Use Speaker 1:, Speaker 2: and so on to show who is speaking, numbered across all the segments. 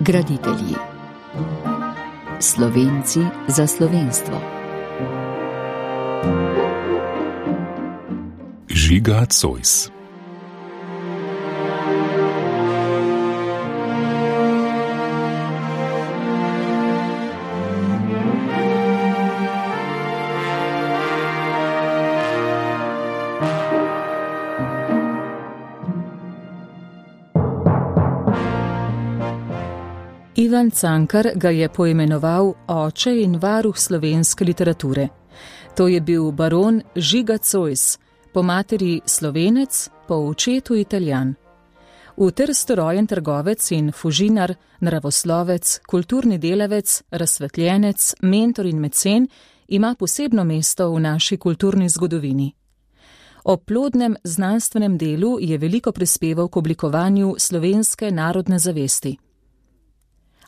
Speaker 1: Graditelji. Slovenci za slovenstvo.
Speaker 2: Žiga Zois.
Speaker 3: Ivan Cankar ga je poimenoval oče in varuh slovenske literature. To je bil baron Žiga Zois, po materi Slovenec, po očetu Italijan. V Trstu rojen trgovec in fužinar, naravoslovec, kulturni delavec, razsvetljenec, mentor in mecen ima posebno mesto v naši kulturni zgodovini. Ob plodnem znanstvenem delu je veliko prispeval k oblikovanju slovenske narodne zavesti.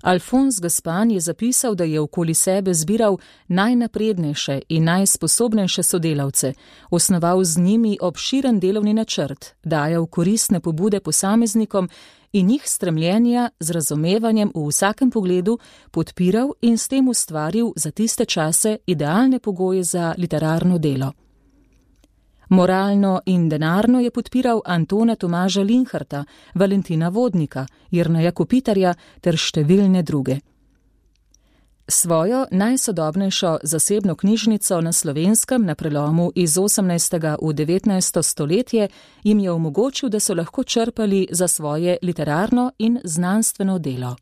Speaker 3: Alfons Gaspan je zapisal, da je okoli sebe zbiral najnaprednejše in najsposobnejše sodelavce, osnoval z njimi obširen delovni načrt, dajal koristne pobude posameznikom in njih stremljenja z razumevanjem v vsakem pogledu podpiral in s tem ustvaril za tiste čase idealne pogoje za literarno delo. Moralno in denarno je podpiral Antona Tomaža Linharta, Valentina Vodnika, Jerneja Kopitarja ter številne druge. Svojo najsodobnejšo zasebno knjižnico na Slovenskem na prelomu iz 18. v 19. stoletje jim je omogočil, da so lahko črpali za svoje literarno in znanstveno delo.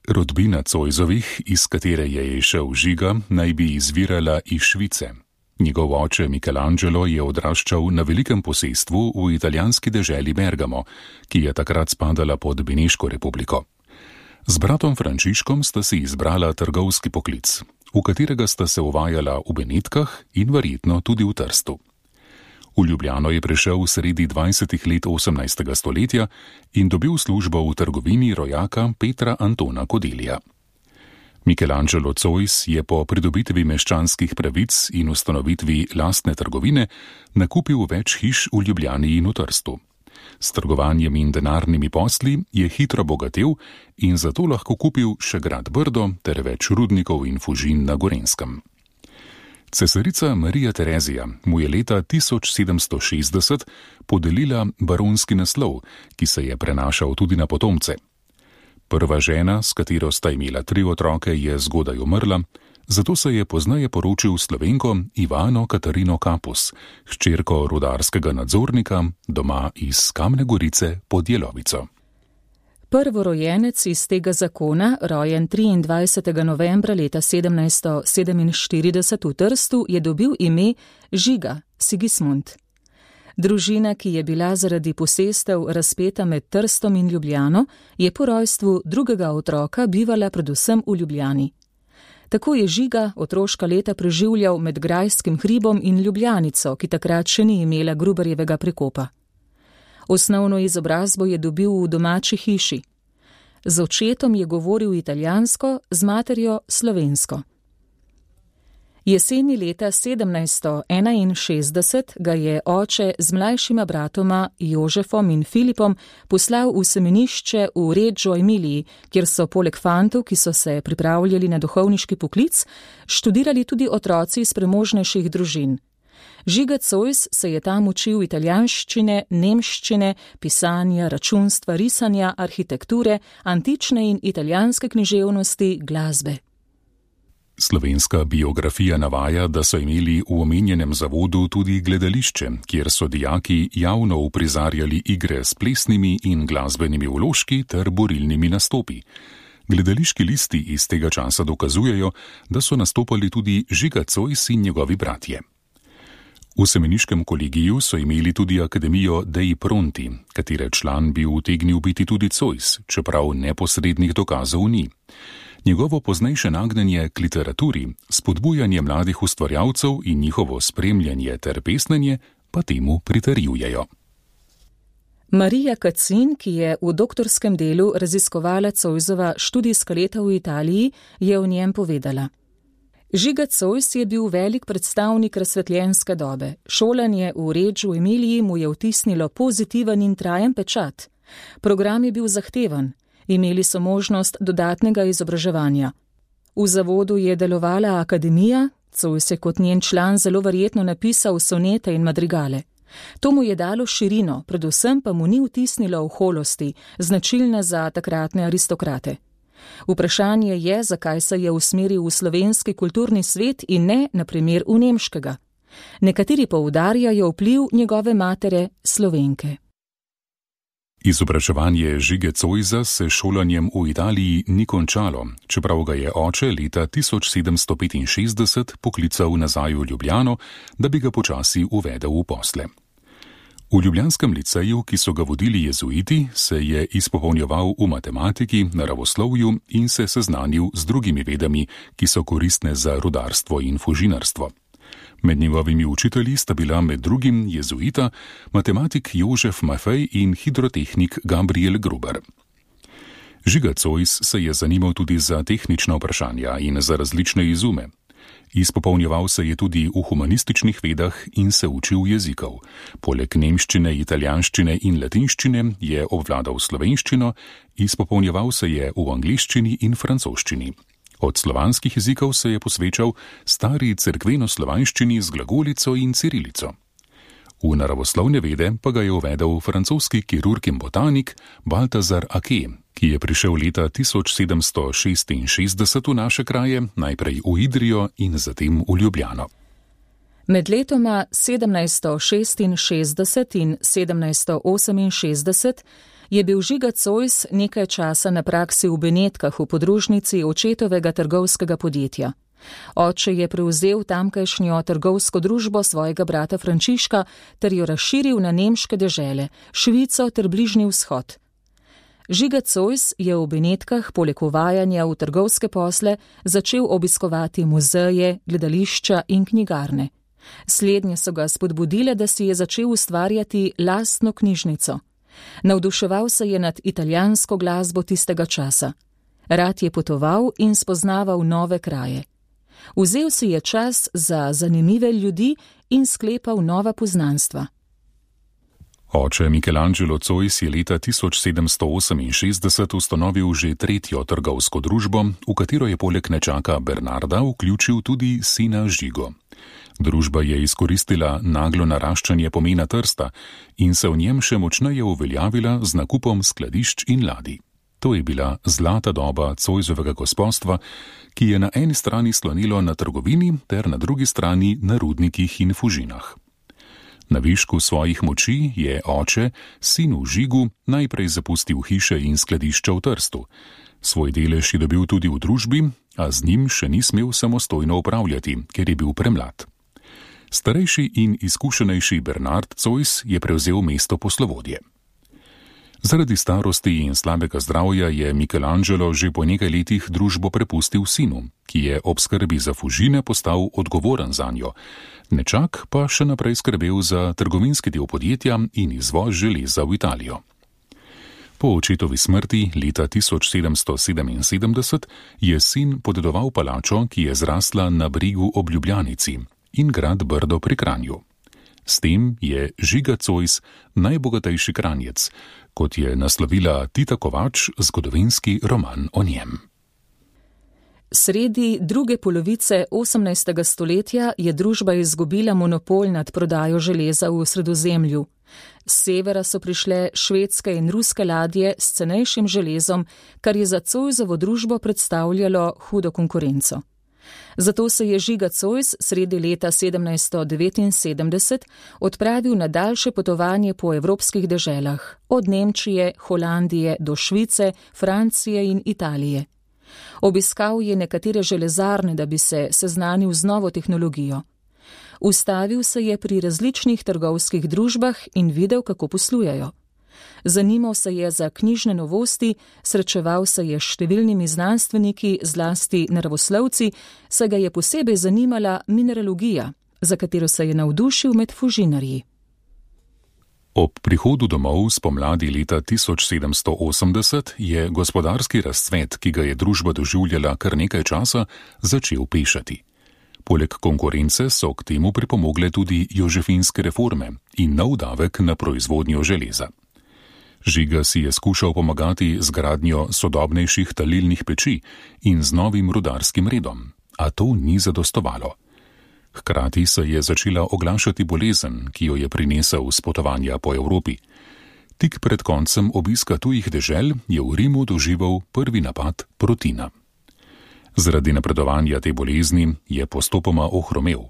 Speaker 2: Rodbina Zoisovih, iz katere je izšel Žiga, naj bi izvirala iz Švice. Njegov oče Michelangelo je odraščal na velikem posestvu v italijanski deželi Bergamo, ki je takrat spadala pod Beneško republiko. Z bratom Frančiškom sta si izbrala trgovski poklic, v katerega sta se uvajala v Benetkah in verjetno tudi v Trstu. V Ljubljano je prišel sredi 20. let 18. stoletja in dobil službo v trgovini rojaka Petra Antona Kodelija. Michelangelo Zois je po pridobitvi meščanskih pravic in ustanovitvi lastne trgovine nakupil več hiš v Ljubljani in v Trstu. S trgovanjem in denarnimi posli je hitro bogatel in zato lahko kupil še grad Brdo ter več rudnikov in fužin na Gorenjskem. Cesarica Marija Terezija mu je leta 1760 podelila baronski naslov, ki se je prenašal tudi na potomce. Prva žena, s katero sta imela 3 otroke, je zgodaj umrla, zato se je pozneje poročil Slovenko Ivano Katarino Kapus, hčerko rudarskega nadzornika, doma iz Kamne Gorice pod Jelovico.
Speaker 3: Prvorojenec iz tega zakona, rojen 23. novembra leta 1747 v Trstu, je dobil ime Žiga Sigismund. Družina, ki je bila zaradi posestev razpeta med Trstom in Ljubljano, je po rojstvu drugega otroka bivala predvsem v Ljubljani. Tako je Žiga otroška leta preživljal med Grajskim hribom in Ljubljanico, ki takrat še ni imela Gruberjevega prekopa. Osnovno izobrazbo je dobil v domači hiši. Z očetom je govoril italijansko, z materjo slovensko. Jeseni leta 1761 ga je oče z mlajšima bratoma Jožefom in Filipom poslal v semenišče v Reggio Emiliji, kjer so poleg fantov, ki so se pripravljali na duhovniški poklic, študirali tudi otroci iz premožnejših družin. Žiga Zois se je tam učil italijanščine, nemščine, pisanja, računstva, risanja, arhitekture, antične in italijanske književnosti, glasbe.
Speaker 2: Slovenska biografija navaja, da so imeli v omenjenem zavodu tudi gledališče, kjer so dijaki javno uprizarjali igre s plesnimi in glasbenimi vložki ter borilnimi nastopi. Gledališki listi iz tega časa dokazujejo, da so nastopali tudi Žiga Zois in njegovi bratje. V semeniškem kolegiju so imeli tudi akademijo Dei Pronti, katere član bi utegnil biti tudi Zois, čeprav neposrednih dokazov ni. Njegovo poznejše nagnjenje k literaturi, spodbujanje mladih ustvarjalcev in njihovo spremljanje ter pesnenje pa temu pritrjujejo.
Speaker 3: Marija Kacin, ki je v doktorskem delu raziskovala Zoisova študijska leta v Italiji, je o njem povedala: Žiga Zois je bil velik predstavnik razsvetljenske dobe. Šolanje v Reggio Emiliji mu je vtisnilo pozitiven in trajen pečat. Program je bil zahteven. Imeli so možnost dodatnega izobraževanja. V zavodu je delovala akademija, Zois je kot njen član zelo verjetno napisal sonete in madrigale. To mu je dalo širino, predvsem pa mu ni vtisnilo oholosti, značilne za takratne aristokrate. Vprašanje je, zakaj se je usmeril v slovenski kulturni svet in ne, na primer, v nemškega. Nekateri poudarjajo vpliv njegove matere, Slovenke.
Speaker 2: Izobraževanje Žige Zoisa se šolanjem v Italiji ni končalo, čeprav ga je oče leta 1765 poklical nazaj v Ljubljano, da bi ga počasi uvedel v posle. V ljubljanskem liceju, ki so ga vodili jezuiti, se je izpopolnjeval v matematiki, naravoslovju in se seznanil z drugimi vedami, ki so koristne za rudarstvo in fužinarstvo. Med njegovimi učitelji sta bila med drugim jezuita, matematik Jožef Maffei in hidrotehnik Gabriel Gruber. Žiga Zois se je zanimal tudi za tehnična vprašanja in za različne izume. Izpopolnjeval se je tudi v humanističnih vedah in se učil jezikov. Poleg nemščine, italijanščine in latinščine je obvladal slovenščino, izpopolnjeval se je v angleščini in francoščini. Od slovanskih jezikov se je posvečal stari cerkveno-slovanščini z glagolico in cirilico. V naravoslovne vede pa ga je uvedel francoski kirurg in botanik Balthazar Ake, ki je prišel leta 1766 v naše kraje, najprej v Idrijo in zatem v Ljubljano.
Speaker 3: Med letoma 1766 in 1768 je bil Žiga Zois nekaj časa na praksi v Benetkah v podružnici očetovega trgovskega podjetja. Oče je prevzel tamkajšnjo trgovsko družbo svojega brata Frančiška ter jo razširil na nemške dežele, Švico ter Bližnji vzhod. Žiga Zois je v Benetkah poleg uvajanja v trgovske posle začel obiskovati muzeje, gledališča in knjigarne. Slednje so ga spodbudile, da si je začel ustvarjati lastno knjižnico. Navduševal se je nad italijansko glasbo tistega časa. Rad je potoval in spoznaval nove kraje. Vzel si je čas za zanimive ljudi in sklepal nova poznanstva.
Speaker 2: Oče Michelangelo Zois je leta 1768 ustanovil že tretjo trgovsko družbo, v katero je poleg nečaka Bernarda vključil tudi sina Žigo. Družba je izkoristila naglo naraščanje pomena Trsta in se v njem še močneje uveljavila z nakupom skladišč in ladij. To je bila zlata doba Zoisovega gospodstva, ki je na eni strani slonilo na trgovini ter na drugi strani na rudnikih in fužinah. Na višku svojih moči je oče, sinu Žigu, najprej zapustil hiše in skladišča v Trstu. Svoj delež je dobil tudi v družbi, a z njim še ni smel samostojno upravljati, ker je bil premlad. Starejši in izkušenejši Bernard Zois je prevzel mesto poslovodje. Zaradi starosti in slabega zdravja je Michelangelo že po nekaj letih družbo prepustil sinu, ki je ob skrbi za fužine postal odgovoren zanjo. Nečak pa še naprej skrbel za trgovinski del podjetja in izvoz železa v Italijo. Po očetovi smrti leta 1777 je sin podedoval palačo, ki je zrasla na bregu ob Ljubljanici, in grad Brdo pri Kranju. S tem je Žiga Zois najbogatejši Kranjec, kot je naslovila Tita Kovač zgodovinski roman o njem.
Speaker 3: Sredi druge polovice 18. stoletja je družba izgubila monopol nad prodajo železa v Sredozemlju. Z severa so prišle švedske in ruske ladje s cenejšim železom, kar je za Zoisovo družbo predstavljalo hudo konkurenco. Zato se je Žiga Zois sredi leta 1779 odpravil na daljše potovanje po evropskih deželah, od Nemčije, Holandije do Švice, Francije in Italije. Obiskal je nekatere železarne, da bi se seznanil z novo tehnologijo. Ustavil se je pri različnih trgovskih družbah in videl, kako poslujejo. Zanimal se je za knjižne novosti, srečeval se je s številnimi znanstveniki, zlasti naravoslovci, saj ga je posebej zanimala mineralogija, za katero se je navdušil med fužinarji.
Speaker 2: Ob prihodu domov spomladi leta 1780 je gospodarski razcvet, ki ga je družba doživljala kar nekaj časa, začel pešati. Poleg konkurence so k temu pripomogle tudi jožefinske reforme in nov davek na proizvodnjo železa. Žiga si je skušal pomagati z gradnjo sodobnejših talilnih peči in z novim rudarskim redom, a to ni zadostovalo. Hkrati se je začela oglašati bolezen, ki jo je prinesel s potovanja po Evropi. Tik pred koncem obiska tujih dežel je v Rimu doživel prvi napad protina. Zaradi napredovanja te bolezni je postopoma ohromel.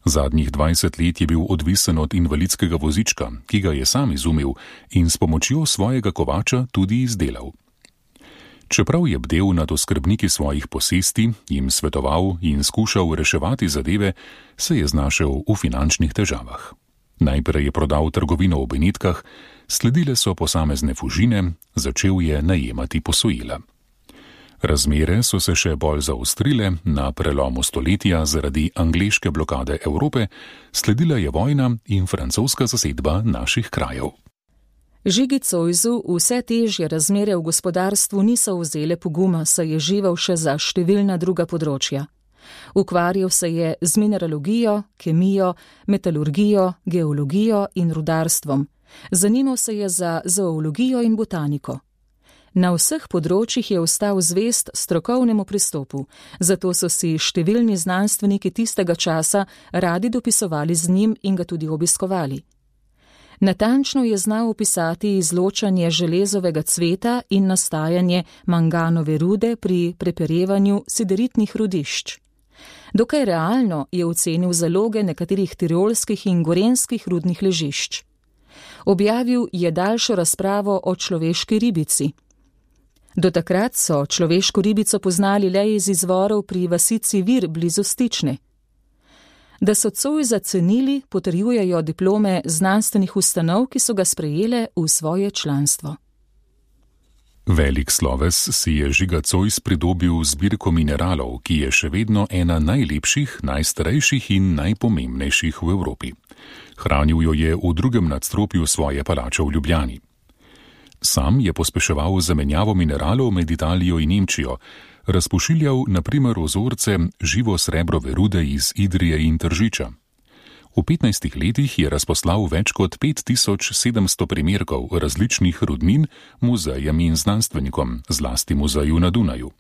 Speaker 2: Zadnjih 20 let je bil odvisen od invalidskega vozička, ki ga je sam izumil in s pomočjo svojega kovača tudi izdelal. Čeprav je bdel nad oskrbniki svojih posesti, jim svetoval in skušal reševati zadeve, se je znašel v finančnih težavah. Najprej je prodal trgovino v Benetkah, sledile so posamezne fužine, začel je najemati posojila. Razmere so se še bolj zaostrile na prelomu stoletja zaradi angleške blokade Evrope, sledila je vojna in francoska zasedba naših krajev.
Speaker 3: Žigi Zoisu vse težje razmere v gospodarstvu niso vzele poguma, saj je živel še za številna druga področja. Ukvarjal se je z mineralogijo, kemijo, metalurgijo, geologijo in rudarstvom. Zanimal se je za zoologijo in botaniko. Na vseh področjih je ostal zvest strokovnemu pristopu, zato so si številni znanstveniki tistega časa radi dopisovali z njim in ga tudi obiskovali. Natančno je znal opisati izločanje železovega cveta in nastajanje manganove rude pri preperevanju sideritnih rudišč. Dokaj realno je ocenil zaloge nekaterih tirolskih in gorenskih rudnih ležišč. Objavil je daljšo razpravo o človeški ribici. Do takrat so človeško ribico poznali le iz izvorov pri vasici Vir blizu Stične. Da so Zoisa cenili, potrjujejo diplome znanstvenih ustanov, ki so ga sprejele v svoje članstvo.
Speaker 2: Velik sloves si je Žiga Zois pridobil zbirko mineralov, ki je še vedno ena najlepših, najstarejših in najpomembnejših v Evropi. Hranil jo je v drugem nadstropju svoje palače v Ljubljani. Sam je pospeševal zamenjavo mineralov med Italijo in Nemčijo, razpošiljal na primer vzorce živo srebrove rude iz Idrije in Tržiča. V 15 letih je razposlal več kot 5700 primerkov različnih rudnin muzejem in znanstvenikom, zlasti muzeju na Dunaju.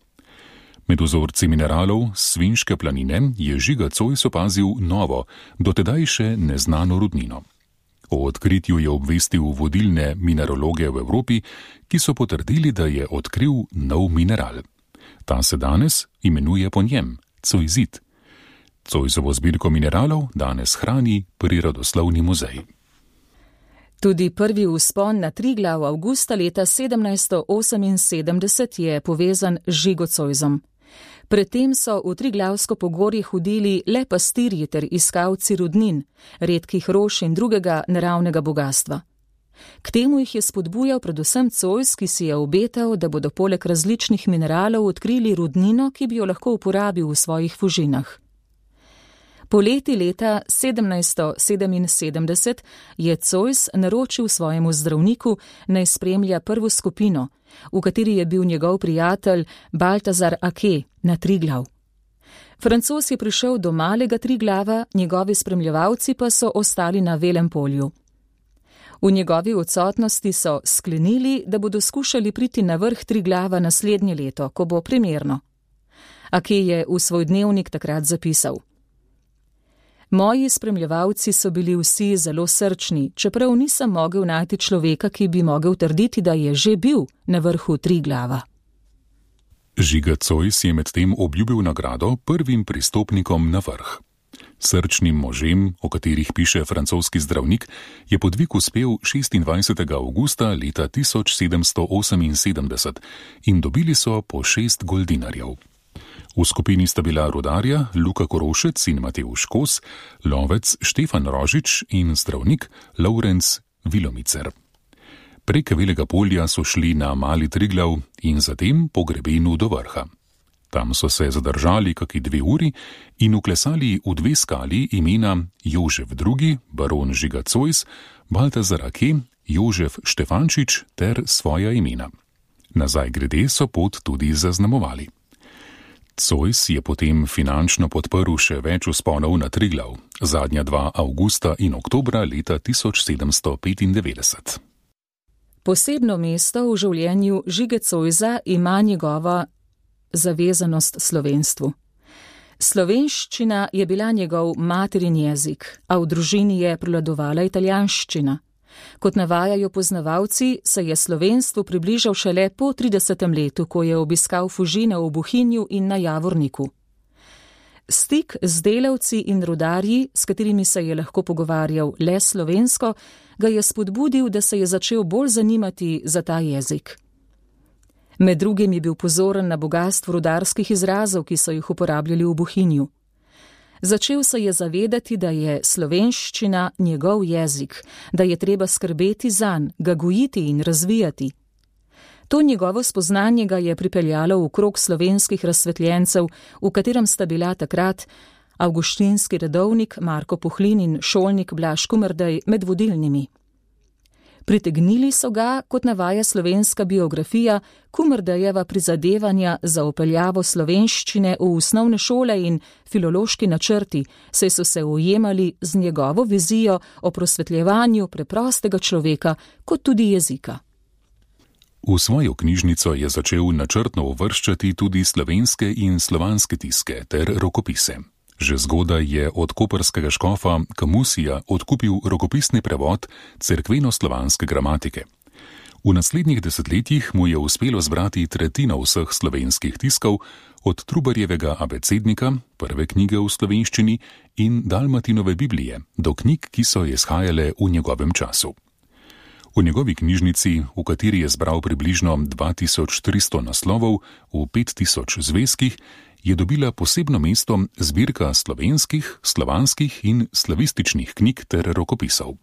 Speaker 2: Med vzorci mineralov Svinjske planine je Žiga Zois opazil novo, dotedaj še neznano rudnino. O odkritju je obvestil vodilne mineraloge v Evropi, ki so potrdili, da je odkril nov mineral. Ta se danes imenuje po njem, zoisit. Zoisovo zbirko mineralov danes hrani Prirodoslovni muzej.
Speaker 3: Tudi prvi vzpon na Triglav avgusta leta 1778 je povezan z Žigo Zoisom. Predtem so v Triglavsko pogorje hodili le pastirji ter iskalci rudnin, redkih rož in drugega naravnega bogastva. K temu jih je spodbujal predvsem Zois, ki si je obetal, da bodo poleg različnih mineralov odkrili rudnino, ki bi jo lahko uporabil v svojih fužinah. Poleti leta 1777 je Zois naročil svojemu zdravniku, naj spremlja prvo skupino, v kateri je bil njegov prijatelj Baltazar Ake na Triglav. Francoz je prišel do malega Triglava, njegovi spremljevalci pa so ostali na Velem polju. V njegovi odsotnosti so sklenili, da bodo skušali priti na vrh Triglava naslednje leto, ko bo primerno. Ake je v svoj dnevnik takrat zapisal: Moji spremljevalci so bili vsi zelo srčni, čeprav nisem mogel najti človeka, ki bi mogel trditi, da je že bil na vrhu Triglava.
Speaker 2: Žiga Zois je medtem obljubil nagrado prvim pristopnikom na vrh. Srčnim možem, o katerih piše francoski zdravnik, je podvig uspel 26. avgusta leta 1778 in dobili so po 6 goldinarjev. V skupini sta bila rudarja Luka Korošec in Matevž Kos, lovec Štefan Rožič in zdravnik Lovrenc Vilomicer. Prek Velega polja so šli na Mali Triglav in zatem po grebenu do vrha. Tam so se zadržali kaki 2 uri in uklesali v 2 skali imena Jožef II, baron Žiga Zois, Baltazar Ake, Jožef Štefančič ter svoja imena. Nazaj grede so pot tudi zaznamovali. Zois je potem finančno podprl še več vzponov na Triglav, zadnja 2 avgusta in oktobra leta 1795.
Speaker 3: Posebno mesto v življenju Žige Zoisa ima njegova zavezanost slovenstvu. Slovenščina je bila njegov materin jezik, a v družini je prevladovala italijanščina. Kot navajajo poznavalci, se je slovenstvu približal šele po 30. letu, ko je obiskal Fužine v Bohinju in na Javorniku. Stik z delavci in rudarji, s katerimi se je lahko pogovarjal le slovensko, ga je spodbudil, da se je začel bolj zanimati za ta jezik. Med drugim je bil pozoren na bogastvo rudarskih izrazov, ki so jih uporabljali v Bohinju. Začel se je zavedati, da je slovenščina njegov jezik, da je treba skrbeti zanj, ga gojiti in razvijati. To njegovo spoznanje ga je pripeljalo v krog slovenskih razsvetljencev, v katerem sta bila takrat avguštinski redovnik Marko Puhlin in šolnik Blaž Kumrdej med vodilnimi. Pritegnili so ga, kot navaja slovenska biografija, Kumrdejeva prizadevanja za vpeljavo slovenščine v osnovne šole in filološki načrti, saj so se ujemali z njegovo vizijo o prosvetljevanju preprostega človeka kot tudi jezika.
Speaker 2: V svojo knjižnico je začel načrtno uvrščati tudi slovenske in slovanske tiske ter rokopise. Že zgodaj je od koprskega škofa Camusija odkupil rokopisni prevod cerkveno-slovanske gramatike. V naslednjih desetletjih mu je uspelo zbrati tretjino vseh slovenskih tiskov, od Trubarjevega abecednika, prve knjige v slovenščini, in Dalmatinove Biblije, do knjig, ki so izhajale v njegovem času. V njegovi knjižnici, v kateri je zbral približno 2300 naslovov v 5000 zvezkih, je dobila posebno mesto zbirka slovenskih, slovanskih in slavističnih knjig ter rokopisov.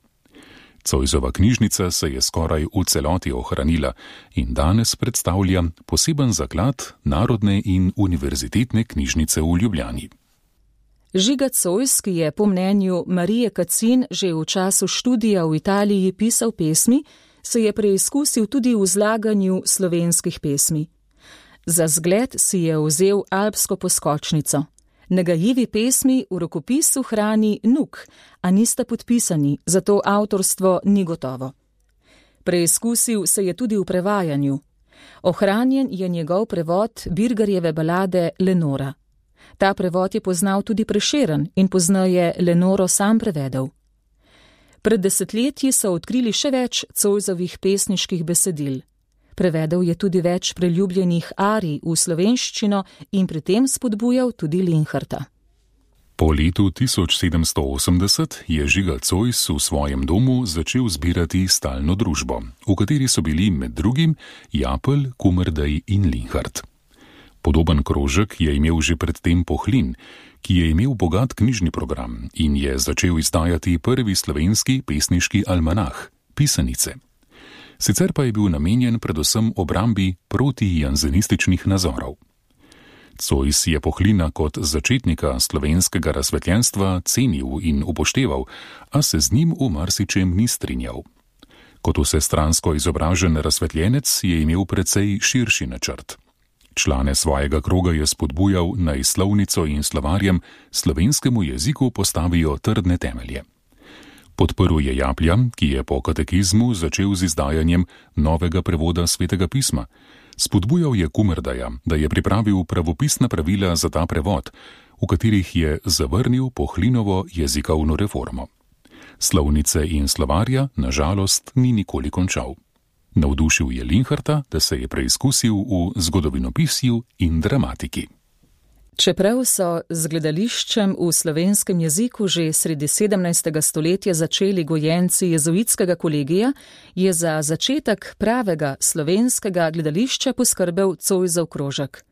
Speaker 2: Zoisova knjižnica se je skoraj v celoti ohranila in danes predstavlja poseben zaklad Narodne in univerzitetne knjižnice v Ljubljani.
Speaker 3: Žiga Zois, ki je po mnenju Marije Kacin že v času študija v Italiji pisal pesmi, se je preizkusil tudi v zlaganju slovenskih pesmi. Za zgled si je vzel alpsko poskočnico. Nagajivi pesmi v rokopisu hrani Nuk, a nista podpisani, zato avtorstvo ni gotovo. Preizkusil se je tudi v prevajanju. Ohranjen je njegov prevod Birgarjeve balade Lenora. Ta prevod je poznal tudi Prešeren in pozneje Lenoro sam prevedel. Pred desetletji so odkrili še več Zoisovih pesniških besedil. Prevedel je tudi več preljubljenih arij v slovenščino in pri tem spodbujal tudi Linharta.
Speaker 2: Po letu 1780 je Žiga Zois v svojem domu začel zbirati stalno družbo, v kateri so bili med drugim Japelj, Kumrdej in Linhart. Podoben krožek je imel že predtem Puhlin, ki je imel bogat knjižni program in je začel izdajati prvi slovenski pesniški almanah, Pisanice. Sicer pa je bil namenjen predvsem obrambi protijanzenističnih nazorov. Zois je Puhlina kot začetnika slovenskega razsvetljenstva cenil in upošteval, a se z njim v marsičem ni strinjal. Kot vsestransko izobražen razsvetljenec je imel precej širši načrt. Člane svojega kroga je spodbujal, naj slovnico in slovarjem slovenskemu jeziku postavijo trdne temelje. Podprl je Japlja, ki je po katekizmu začel z izdajanjem novega prevoda Svetega pisma. Spodbujal je Kumrdeja, da je pripravil pravopisna pravila za ta prevod, v katerih je zavrnil Puhlinovo jezikovno reformo. Slovnice in slovarja, na žalost, ni nikoli končal. Navdušil je Linharta, da se je preizkusil v zgodovinopisju in dramatiki.
Speaker 3: Čeprav so z gledališčem v slovenskem jeziku že sredi 17. stoletja začeli gojenci jezuitskega kolegija, je za začetek pravega slovenskega gledališča poskrbel Zoisov krožek.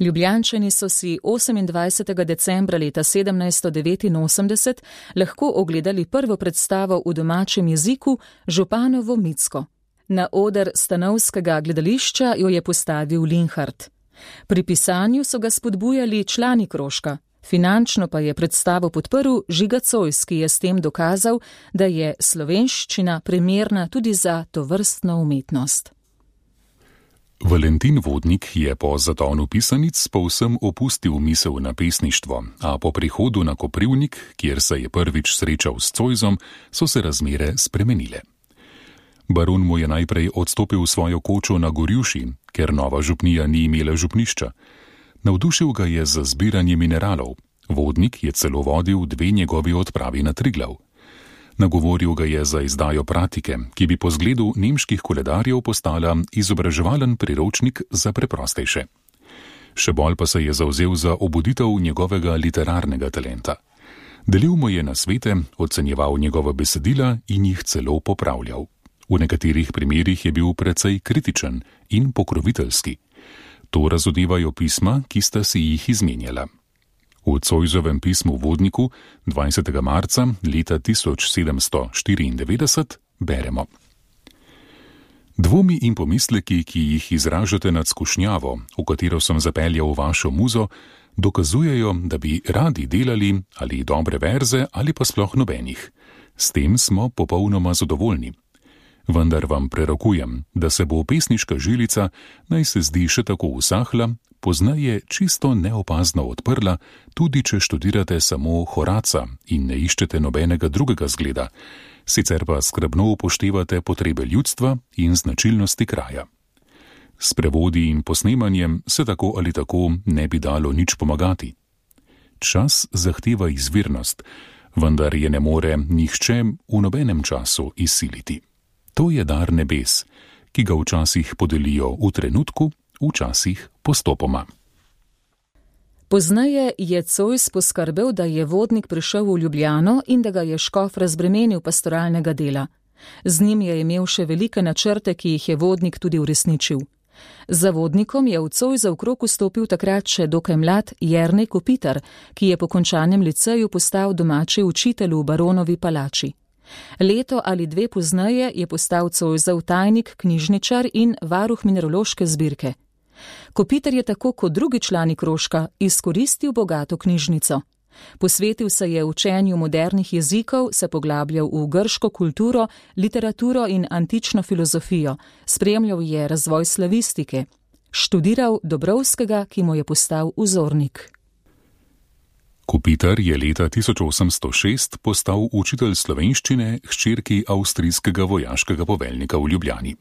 Speaker 3: Ljubljančani so si 28. decembra leta 1789 lahko ogledali prvo predstavo v domačem jeziku Županovo Micko. Na oder stanovskega gledališča jo je postavil Linhart. Pri pisanju so ga spodbujali člani krožka, finančno pa je predstavo podprl Žiga Zois, ki je s tem dokazal, da je slovenščina primerna tudi za tovrstno umetnost.
Speaker 2: Valentin Vodnik je po zatonu Pisanic povsem opustil misel na pesništvo, a po prihodu na Koprivnik, kjer se je prvič srečal s Zoisom, so se razmere spremenile. Baron mu je najprej odstopil svojo kočo na Gorjuši, ker nova župnija ni imela župnišča. Navdušil ga je za zbiranje mineralov. Vodnik je celo vodil 2 njegovi odpravi na Triglav. Nagovoril ga je za izdajo Pratike, ki bi po zgledu nemških koledarjev postala izobraževalen priročnik za preprostejše. Še bolj pa se je zavzel za obuditev njegovega literarnega talenta. Delil mu je nasvete, ocenjeval njegova besedila in jih celo popravljal. V nekaterih primerih je bil precej kritičen in pokroviteljski. To razodevajo pisma, ki sta si jih izmenjala. V Zoisovem pismu Vodniku 20. marca leta 1794 beremo: Dvomi in pomisleki, ki jih izražate nad skušnjavo, v katero sem zapeljal vašo muzo, dokazujejo, da bi radi delali ali dobre verze ali pa sploh nobenih. S tem smo popolnoma zadovoljni. Vendar vam prerokujem, da se bo pesniška žilica, naj se zdi še tako usahla, poznaje čisto neopazno odprla, tudi če študirate samo Horaca in ne iščete nobenega drugega zgleda, sicer pa skrbno upoštevate potrebe ljudstva in značilnosti kraja. S prevodi in posnemanjem se tako ali tako ne bi dalo nič pomagati. Čas zahteva izvirnost, vendar je ne more nihče v nobenem času izsiliti. To je dar nebes, ki ga včasih podelijo v trenutku, včasih postopoma.
Speaker 3: Pozneje je Zois poskrbel, da je Vodnik prišel v Ljubljano in da ga je škof razbremenil pastoralnega dela. Z njim je imel še velike načrte, ki jih je Vodnik tudi uresničil. Za Vodnikom je v Zoisov krog vstopil takrat še dokaj mlad Jernej Kopitar, ki je po končanem liceju postal domači učitelj v baronovi palači. Leto ali 2 pozneje je postal Zoisov tajnik, knjižničar in varuh mineraloške zbirke. Kopitar je tako kot drugi člani krožka izkoristil bogato knjižnico. Posvetil se je učenju modernih jezikov, se poglabljal v grško kulturo, literaturo in antično filozofijo, spremljal je razvoj slavistike, študiral Dobrovskega, ki mu je postal vzornik.
Speaker 2: Kopitar je leta 1806 postal učitelj slovenščine hčerki avstrijskega vojaškega poveljnika v Ljubljani.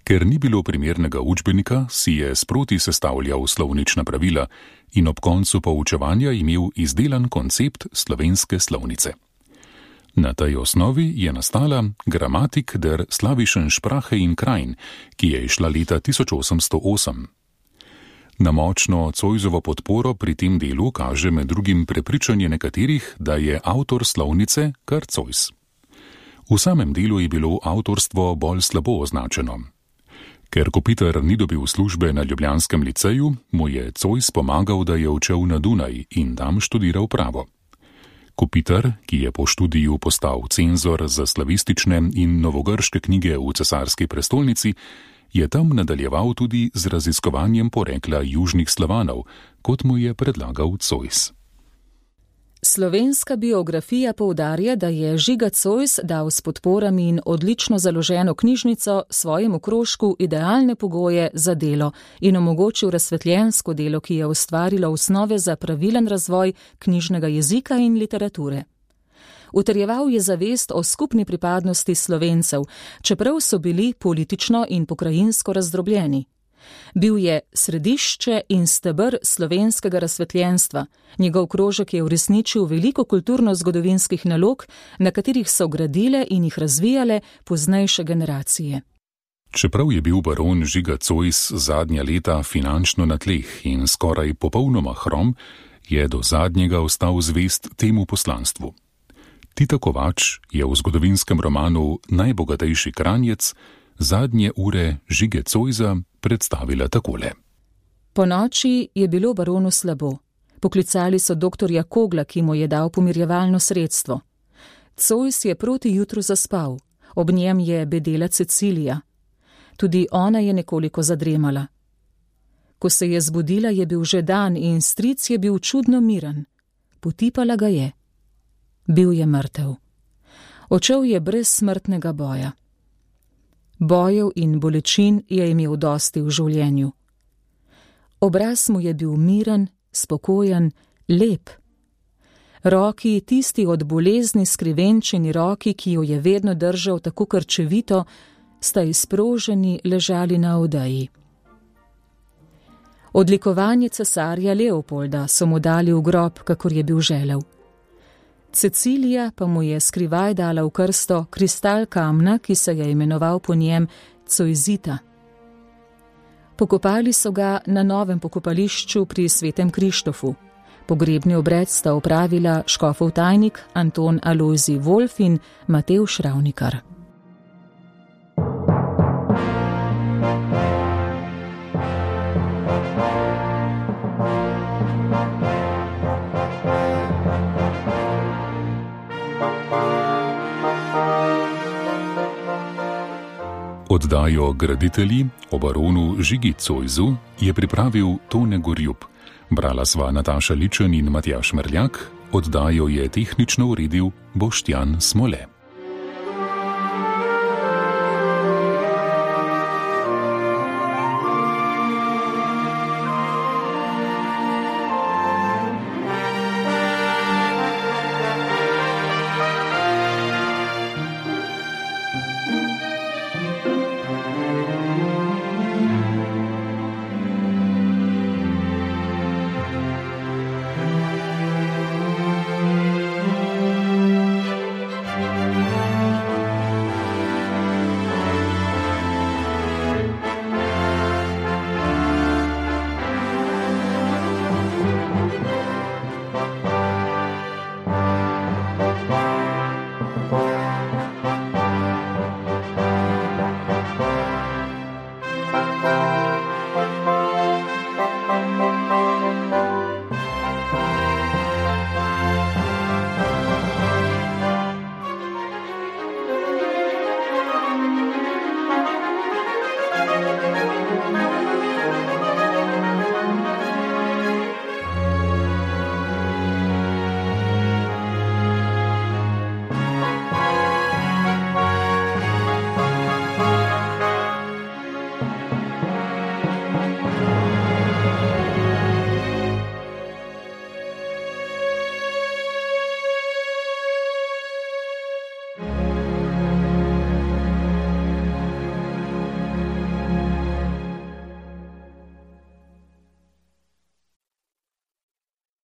Speaker 2: Ker ni bilo primernega učbenika, si je sproti sestavljal slovnična pravila in ob koncu poučevanja imel izdelan koncept slovenske slovnice. Na tej osnovi je nastala Grammatik der Slawischen Sprache in Krain, ki je izšla leta 1808. Na močno Zoisovo podporo pri tem delu kaže med drugim prepričanje nekaterih, da je avtor slovnice kar Zois. V samem delu je bilo avtorstvo bolj slabo označeno. Ker Kopitar ni dobil službe na ljubljanskem liceju, mu je Zois pomagal, da je odšel na Dunaj in tam študiral pravo. Kopitar, ki je po študiju postal cenzor za slavistične in novogrške knjige v cesarski prestolnici, je tam nadaljeval tudi z raziskovanjem porekla južnih Slavanov, kot mu je predlagal Zois.
Speaker 3: Slovenska biografija poudarja, da je Žiga Zois dal s podporami in odlično založeno knjižnico svojemu krožku idealne pogoje za delo in omogočil razsvetljensko delo, ki je ustvarilo osnove za pravilen razvoj knjižnega jezika in literature. Utrjeval je zavest o skupni pripadnosti Slovencev, čeprav so bili politično in pokrajinsko razdrobljeni. Bil je središče in steber slovenskega razsvetljenstva. Njegov krožek je uresničil veliko kulturno-zgodovinskih nalog, na katerih so gradile in jih razvijale poznejše generacije.
Speaker 2: Čeprav je bil baron Žiga Zois zadnja leta finančno na tleh in skoraj popolnoma hrom, je do zadnjega ostal zvest temu poslanstvu. Tita Kovač je v zgodovinskem romanu Najbogatejši Kranjec zadnje ure Žige Zoisa predstavila takole.
Speaker 3: Po noči je bilo baronu slabo. Poklicali so doktorja Kogla, ki mu je dal pomirjevalno sredstvo. Zois je proti jutru zaspal. Ob njem je bedela Cecilija. Tudi ona je nekoliko zadremala. Ko se je zbudila, je bil že dan in stric je bil čudno miren. Potipala ga je. Bil je mrtev. Odšel je brez smrtnega boja. Bojev in bolečin je imel dosti v življenju. Obraz mu je bil miren, spokojen, lep. Roki, tisti od bolezni skrivenčeni roki, ki jo je vedno držal tako krčevito, sta izproženi ležali na odeji. Odlikovanje cesarja Leopolda so mu dali v grob, kakor je bil želel. Cecilija pa mu je skrivaj dala v krsto kristal kamna, ki se je imenoval po njem Cojzita. Pokopali so ga na novem pokopališču pri Svetem Krištofu. Pogrebni obred sta opravila škofov tajnik Anton Alojzij Wolf in Matevž Ravnikar.
Speaker 2: Oddajo Graditelji o baronu Žigi Zoisu je pripravil Tone Gorjup. Brala sva Nataša Ličen in Matjaž Merljak, oddajo je tehnično uredil Boštjan Smole.